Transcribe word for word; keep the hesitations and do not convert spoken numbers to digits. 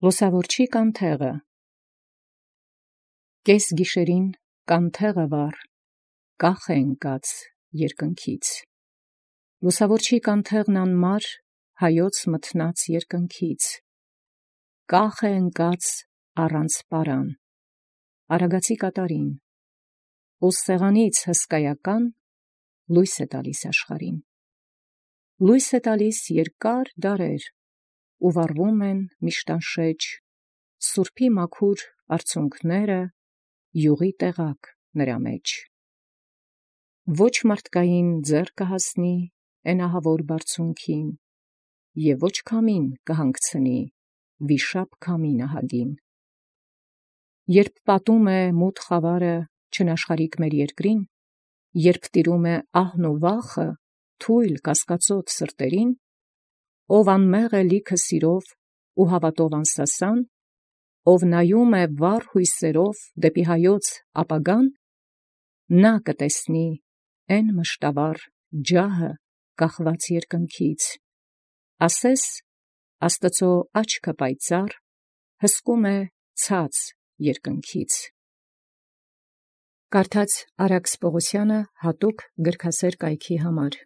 Լուսաւորչի կանթեղը։ Կես գիշերին կանթեղը վառ, կախ է ընկած երկնքից։ Լուսաւորչի կանթեղն անմար, հայոց մթնած երկնքից։ Կախ է ընկած առանց պարան, Արագածի կատարին, ու սեղանից հսկայական լույս է տալիս աշխարհին։ Լույս է տալիս երկար դարեր, ու վառվում են միշտ անշեջ սուրբի մաքուր արցունքները յուղի տեղակ նրա մեջ։ Ոչ մարդկային ձեռ կհասնի էն ահավոր բարձունքին, և ոչ քամին կհանգցնի վիշապ քամի նահագին։ Երբ պատում է մութ խավարը չնաշխարհիկ մեր երկրին, երբ տիրում է ահն ու վախը թույլ կասկածոտ սրտերին, ով անմեղ է լիքը սիրով ու հավատով անսասան, ով նայում է վառ հույսերով դեպի հայոց ապագան, նա կտեսնի էն մշտավառ ջահը կախված երկնքից, ասես Աստուծոյ աչքը պայծառ հսկում է ցած երկնքից։ Կարդաց Արաքս Պողոսյանը հատուկ գրքասեր կայքի համար։